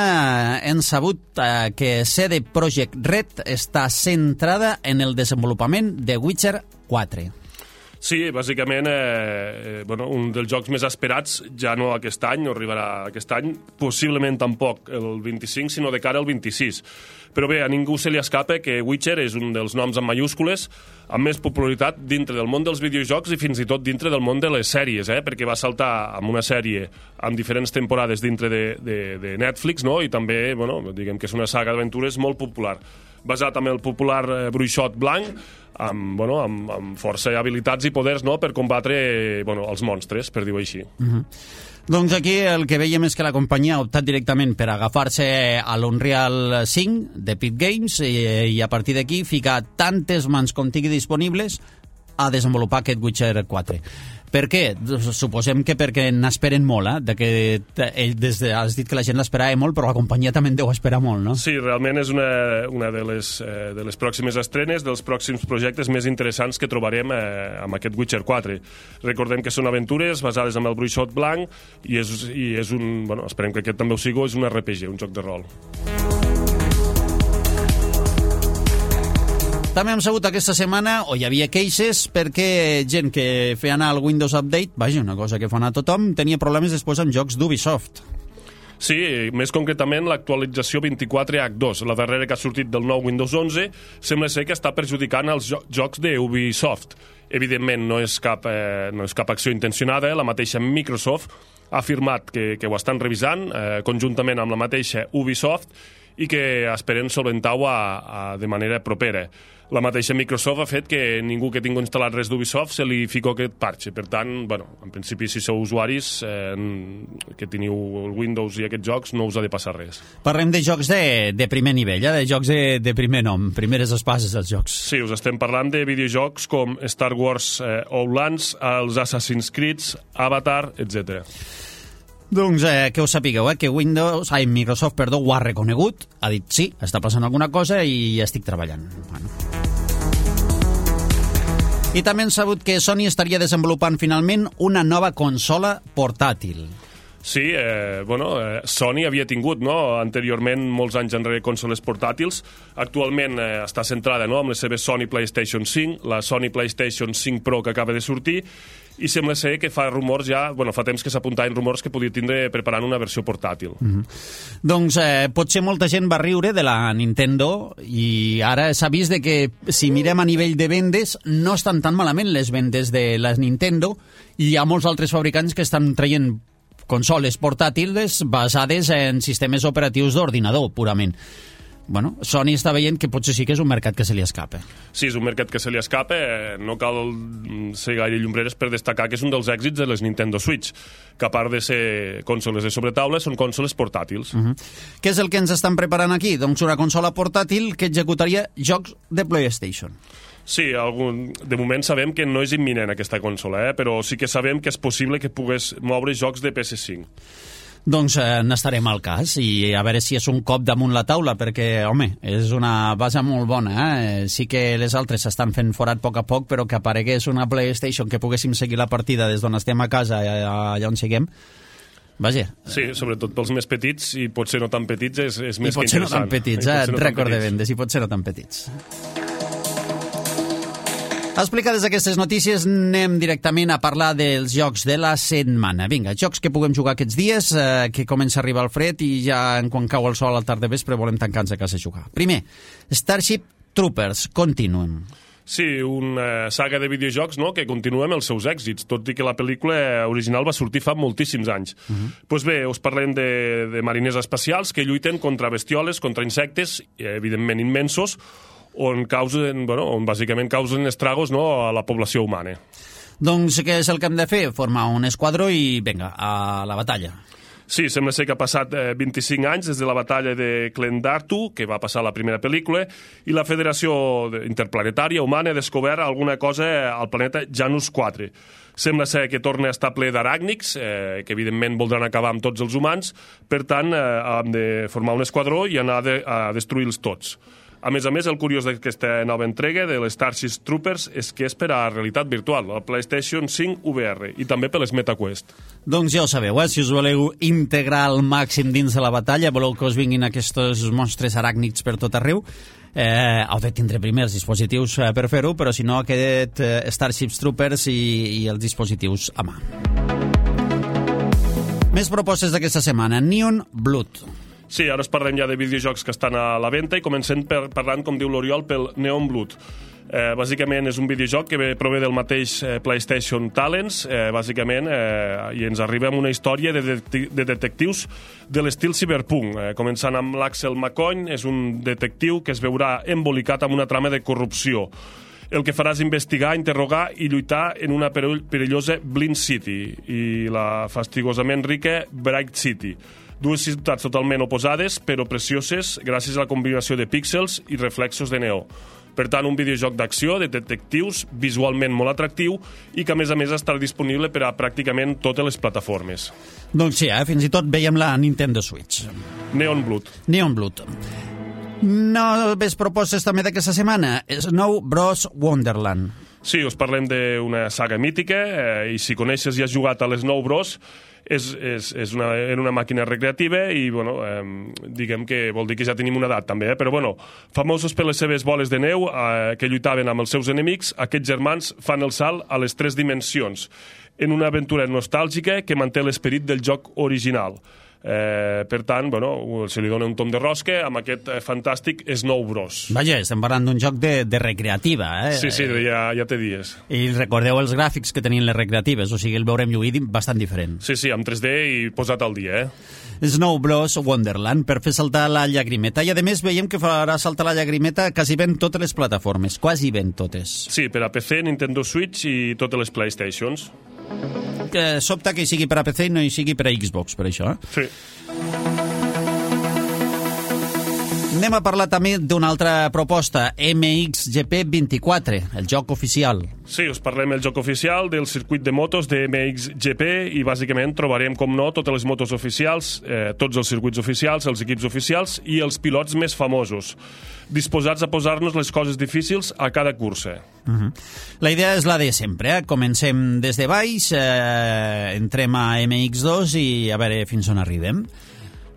Speaker 2: hem sabut que CD Projekt Red està centrada en el desenvolupament de Witcher 4.
Speaker 3: Sí, bàsicament, un dels jocs més esperats, ja no aquest any, no arribarà aquest any, possiblement tampoc el 25, sinó de cara al 26. Però bé, a ningú se li escapa que Witcher és un dels noms en mayúscules amb més popularitat dintre del món dels videojocs i fins i tot dintre del món de les sèries, perquè va saltar amb una sèrie amb diferents temporades dintre de Netflix, no? I també, diguem que és una saga d'aventures molt popular, basat en el popular bruixot blanc, amb força habilitats i poders, no?, per combatre els monstres, per dir-ho així.
Speaker 2: Doncs aquí el que veiem és que la companyia ha optat directament per agafar-se a l'Unreal 5 d'Epic Games i a partir d'aquí ficar tantes mans com tingui disponibles a desenvolupar aquest Witcher 4. Per què? Suposem que perquè n'esperen molt, has dit que la gent l'esperava molt, però la companyia també en deu esperar molt, no?
Speaker 3: Sí, realment és una de les pròximes estrenes, dels pròxims projectes més interessants que trobarem amb aquest Witcher 4. Recordem que són aventures basades en el bruixot blanc i és un... Bueno, esperem que aquest també ho sigui, és un RPG, un joc de rol.
Speaker 2: També hem sabut aquesta setmana, o hi havia queixes, perquè gent que feia anar el Windows Update, vaja, una cosa que fa anar tothom, tenia problemes després amb jocs d'Ubisoft.
Speaker 3: Sí, més concretament l'actualització 24H2, la darrera que ha sortit del nou Windows 11, sembla ser que està perjudicant els jocs d'Ubisoft. Evidentment, no és cap acció intencionada, la mateixa Microsoft ha afirmat que ho estan revisant conjuntament amb la mateixa Ubisoft i que esperen solventar-ho de manera propera. La mateixa Microsoft ha fet que ningú que tingui instal·lat res d'Ubisoft se li fico aquest parche. Per tant, bueno, en principi, si sou usuaris que teniu el Windows i aquests jocs, no us ha de passar res.
Speaker 2: Parlem de jocs de primer nivell, de jocs de primer nom, primeres espases dels jocs.
Speaker 3: Sí, us estem parlant de videojocs com Star Wars Outlands, els Assassin's Creed, Avatar, etc.
Speaker 2: Doncs que us sapigueu, que Microsoft ho ha reconegut, ha dit sí, està passant alguna cosa i estic treballant. Bueno. I també hem sabut que Sony estaria desenvolupant finalment una nova consola portàtil.
Speaker 3: Sí, Sony havia tingut anteriorment, molts anys enrere, consoles portàtils. Actualment està centrada amb les seves Sony PlayStation 5, la Sony PlayStation 5 Pro que acaba de sortir, i sembla ser que fa rumors fa temps que s'apuntaven rumors que podia tindre preparant una versió portàtil.
Speaker 2: Doncs potser molta gent va riure de la Nintendo i ara s'ha vist que si mirem a nivell de vendes no estan tan malament les vendes de la Nintendo i hi ha molts altres fabricants que estan traient consoles portàtils basades en sistemes operatius d'ordinador, purament. Bueno, Sony està veient que potser sí que és un mercat que se li escapa.
Speaker 3: Sí, és un mercat que se li escapa. No cal ser gaire llumbraires per destacar que és un dels èxits de les Nintendo Switch, que a part de ser consoles de sobretaula, són consoles portàtils.
Speaker 2: Què és el que ens estan preparant aquí? Doncs una consola portàtil que executaria jocs de PlayStation.
Speaker 3: Sí, de moment sabem que no és imminent aquesta consola, però sí que sabem que és possible que pogués moure jocs de PS5.
Speaker 2: Doncs n'estarem al cas i a veure si és un cop damunt la taula, perquè, home, és una base molt bona. Sí que les altres s'estan fent forat a poc, però que aparegués una PlayStation que poguéssim seguir la partida des d'on estem a casa, allà on siguem, vaja.
Speaker 3: Sí, sobretot pels més petits, i potser no tan petits, és més que interessant.
Speaker 2: I potser no tan petits, rècord de vendes, i potser no tan petits. Explicades aquestes notícies, anem directament a parlar dels jocs de la setmana. Vinga, jocs que puguem jugar aquests dies, que comença a arribar el fred i ja quan cau el sol al tard de vespre volem tancar-nos a casa a jugar. Primer, Starship Troopers, Continuum.
Speaker 3: Sí, una saga de videojocs que continua amb els seus èxits, tot i que la pel·lícula original va sortir fa moltíssims anys. Doncs bé, us parlem de mariners espacials que lluiten contra bestioles, contra insectes, evidentment immensos, on bàsicament causen estragos a la població humana.
Speaker 2: Doncs què és el que hem de fer? Formar un esquadró i, vinga, a la batalla.
Speaker 3: Sí, sembla ser que ha passat 25 anys des de la batalla de Klendartu, que va passar a la primera pel·lícula, i la Federació Interplanetària Humana ha descobert alguna cosa al planeta Janus 4. Sembla ser que torna a estar ple d'aràcnics, que evidentment voldran acabar amb tots els humans, per tant, hem de formar un esquadró i anar a destruir-los tots. A més, el curiós d'aquesta nova entrega de les Starship Troopers és que és per a realitat virtual, la PlayStation 5 VR, i també per les MetaQuest.
Speaker 2: Doncs ja ho sabeu, si us voleu integrar al màxim dins de la batalla, voleu que us vinguin aquests monstres aràcnids per tot arreu, heu de tindre primer els dispositius per fer-ho, però si no, aquest Starship Troopers i els dispositius a mà. Més propostes d'aquesta setmana. Neon Blood.
Speaker 3: Sí, ara us parlem ja de videojocs que estan a la venda i comencem parlant, com diu l'Oriol, pel Neon Blood. Bàsicament és un videojoc que prové del mateix PlayStation Talents, bàsicament, i ens arriba amb una història de detectius de l'estil cyberpunk. Començant amb l'Axel McCoy, és un detectiu que es veurà embolicat amb una trama de corrupció. El que farà és investigar, interrogar i lluitar en una perillosa Blind City i la fastigosament rica Bright City. Dues ciutats totalment oposades, però precioses gràcies a la combinació de píxels i reflexos de neó. Per tant, un videojoc d'acció, de detectius, visualment molt atractiu i que, a més, estarà disponible per a pràcticament totes les plataformes.
Speaker 2: Doncs sí, fins i tot veiem la Nintendo Switch.
Speaker 3: Neon Blood.
Speaker 2: Neon Blood. Noves propostes també d'aquesta setmana. Snow Bros. Wonderland.
Speaker 3: Sí, us parlem d'una saga mítica i si coneixes i has jugat a les Snow Bros, és una màquina recreativa i, bueno, diguem que vol dir que ja tenim una edat també, però, bueno, famosos per les seves boles de neu que lluitaven amb els seus enemics, aquests germans fan el salt a les 3 dimensions en una aventura nostàlgica que manté l'esperit del joc original. Per tant, bueno, se li dona un tom de rosca amb aquest fantàstic Snow Bros.
Speaker 2: Vaja, estem parlant d'un joc de recreativa, eh?
Speaker 3: Sí, ja té dies.
Speaker 2: I recordeu els gràfics que tenien les recreatives, o sigui, el veurem lluir bastant diferent.
Speaker 3: Sí, amb 3D i posat al dia,
Speaker 2: Snow Bros. Wonderland, per fer saltar la llagrimeta. I, a més, veiem que farà saltar la llagrimeta quasi ben totes les plataformes, quasi ben totes.
Speaker 3: Sí, per a PC, Nintendo Switch i totes les PlayStations.
Speaker 2: Sobta que hi sigui per a PC i no hi sigui per a Xbox, per això.
Speaker 3: Sí.
Speaker 2: Anem a parlar també d'una altra proposta, MXGP 24, el joc oficial.
Speaker 3: Sí, us parlem del joc oficial del circuit de motos de MXGP i bàsicament trobarem, com no, totes les motos oficials, tots els circuits oficials, els equips oficials i els pilots més famosos, disposats a posar-nos les coses difícils a cada cursa.
Speaker 2: La idea és la de sempre, Comencem des de baix, entrem a MX2 i a veure fins on arribem.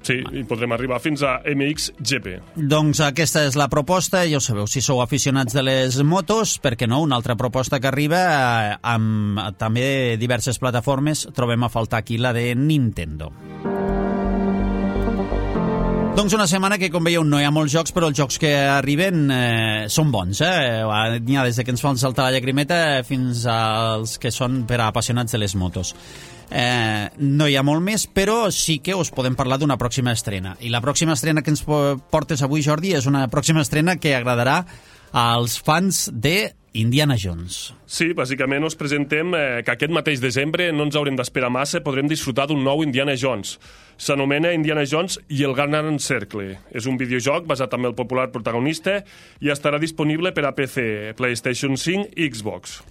Speaker 3: Sí, i podrem arribar fins a MXGP.
Speaker 2: Doncs aquesta és la proposta, ja ho sabeu, si sou aficionats de les motos, per què no? Una altra proposta que arriba amb també diverses plataformes, trobem a faltar aquí la de Nintendo. Doncs una setmana que, com veieu, no hi ha molts jocs, però els jocs que arriben són bons, N'hi ha des que ens fan saltar la llagrimeta fins als que són per a apassionats de les motos. No hi ha molt més, però sí que us podem parlar d'una pròxima estrena. I la pròxima estrena que ens portes avui, Jordi, és una pròxima estrena que agradarà als fans de Indiana Jones.
Speaker 3: Sí, bàsicament us presentem que aquest mateix desembre no ens haurem d'esperar massa, podrem disfrutar d'un nou Indiana Jones. S'anomena Indiana Jones i el Gran Cercle. És un videojoc basat en el popular protagonista i estarà disponible per a PC, PlayStation 5 i Xbox.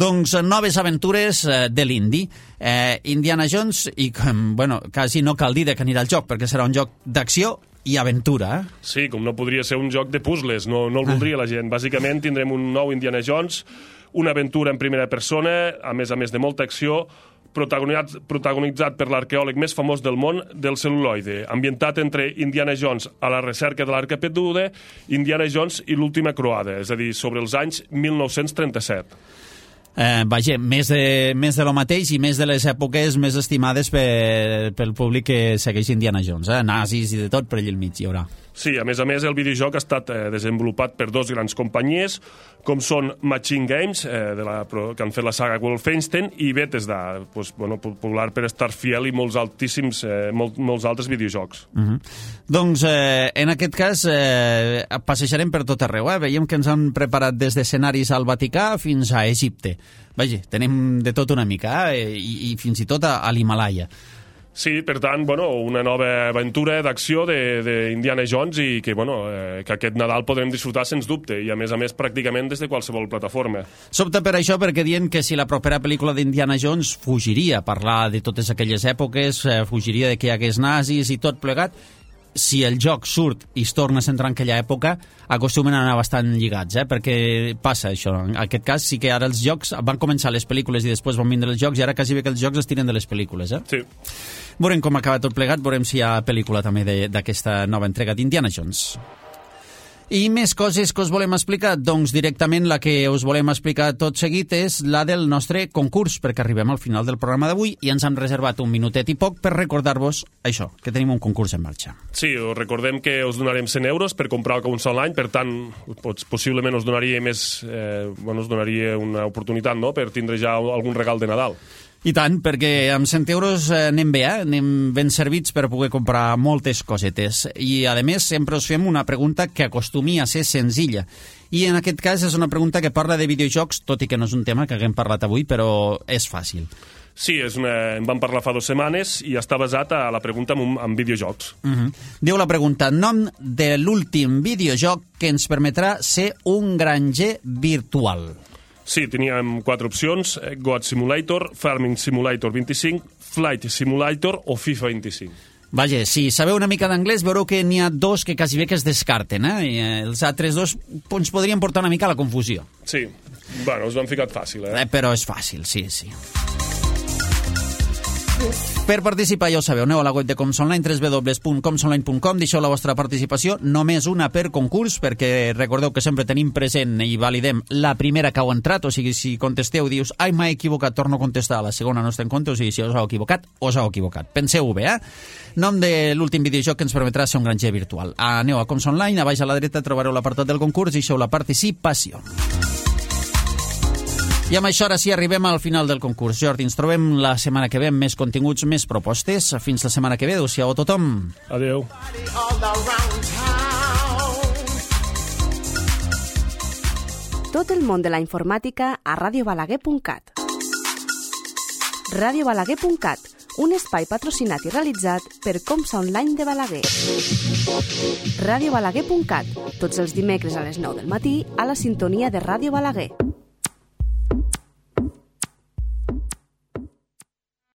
Speaker 2: Doncs noves aventures de l'Indy. Indiana Jones, i bueno, quasi no cal dir de què anirà el joc, perquè serà un joc d'acció i aventura.
Speaker 3: Sí, com no podria ser un joc de puzzles, no el voldria la gent. Bàsicament tindrem un nou Indiana Jones, una aventura en primera persona, a més de molta acció, protagonitzat per l'arqueòleg més famós del món del cel·luloide, ambientat entre Indiana Jones a la recerca de l'arca perduda, Indiana Jones i l'última croada, és a dir, sobre els anys 1937.
Speaker 2: Vaja, més de lo mateix i més de les èpoques més estimades pel públic que segueix Indiana Jones, nazis i de tot per allà al mig hi haurà.
Speaker 3: Sí, a més, el videojoc ha estat desenvolupat per 2 grans companyies, com són Machine Games, que han fet la saga Wolfenstein, i Bethesda, popular per Starfield i molts altres videojocs.
Speaker 2: Doncs, en aquest cas, passejarem per tot arreu. Veiem que ens han preparat des d'escenaris al Vaticà fins a Egipte. Vaja, tenim de tot una mica, i fins i tot a l'Himalaya.
Speaker 3: Sí, per tant, una nova aventura d'acció d'Indiana Jones i que aquest Nadal podrem disfrutar sens dubte i, a més, pràcticament des de qualsevol plataforma.
Speaker 2: Sobta per això, perquè diuen que si la propera pel·lícula d'Indiana Jones fugiria a parlar de totes aquelles èpoques, fugiria de que hi hagués nazis i tot plegat, si el joc surt i es torna a centrar en aquella època, acostumen a anar bastant lligats, perquè passa això. En aquest cas sí que ara els jocs van començar les pel·lícules i després van vindre els jocs i ara quasi bé que els jocs es tiren de les pel·lícules.
Speaker 3: Sí.
Speaker 2: Veurem com acaba tot plegat, veurem si hi ha pel·lícula també d'aquesta nova entrega d'Indiana Jones. I més coses que us volem explicar, doncs directament la que us volem explicar tot seguit és la del nostre concurs, perquè arribem al final del programa d'avui i ens hem reservat un minutet i poc per recordar-vos això, que tenim un concurs en marxa.
Speaker 3: Sí, us recordem que us donarem 100 euros per comprar un sol any, per tant, possiblement us donaria us donaria una oportunitat, no?, per tindre ja algun regal de Nadal.
Speaker 2: I tant, perquè amb 100 euros anem bé, anem ben servits per poder comprar moltes cosetes. I, a més, sempre us fem una pregunta que acostumi a ser senzilla. I, en aquest cas, és una pregunta que parla de videojocs, tot i que no és un tema que haguem parlat avui, però és fàcil.
Speaker 3: Sí, en vam parlar fa 2 setmanes i està basat a la pregunta en videojocs.
Speaker 2: Diu la pregunta, nom de l'últim videojoc que ens permetrà ser un granger virtual.
Speaker 3: Sí, teníem 4 opcions, God Simulator, Farming Simulator 25, Flight Simulator o FIFA 25.
Speaker 2: Vaja, si sabeu una mica d'anglès, veureu que n'hi ha 2 que quasi bé que es descarten, I els altres 2 ens podrien portar una mica a la confusió.
Speaker 3: Sí, bueno, us ho han ficat fàcil,
Speaker 2: Però és fàcil, sí. Per participar, ja ho sabeu, aneu a la web de Comsonline, www.comsonline.com, deixeu la vostra participació, només una per concurs, perquè recordeu que sempre tenim present i validem la primera que heu entrat, o sigui, si contesteu, dius, ai, m'he equivocat, torno a contestar, la segona no està en compte, o sigui, si us heu equivocat, Penseu-ho bé, Nom de l'últim videojoc que ens permetrà ser un granger virtual. Aneu a Comsonline, a baix a la dreta trobareu l'apartat del concurs, deixeu la participació. I amb això ara sí arribem al final del concurs. Jordi, ens trobem la setmana que ve amb més continguts, més propostes. Fins la setmana que ve. Adéu-siau a tothom.
Speaker 3: Adéu.
Speaker 1: Tot el món de la informàtica a radiobalaguer.cat. Radiobalaguer.cat, un espai patrocinat i realitzat per Comsa Online de Balaguer. Radiobalaguer.cat, tots els dimecres a les 9 del matí a la sintonia de Ràdio Balaguer.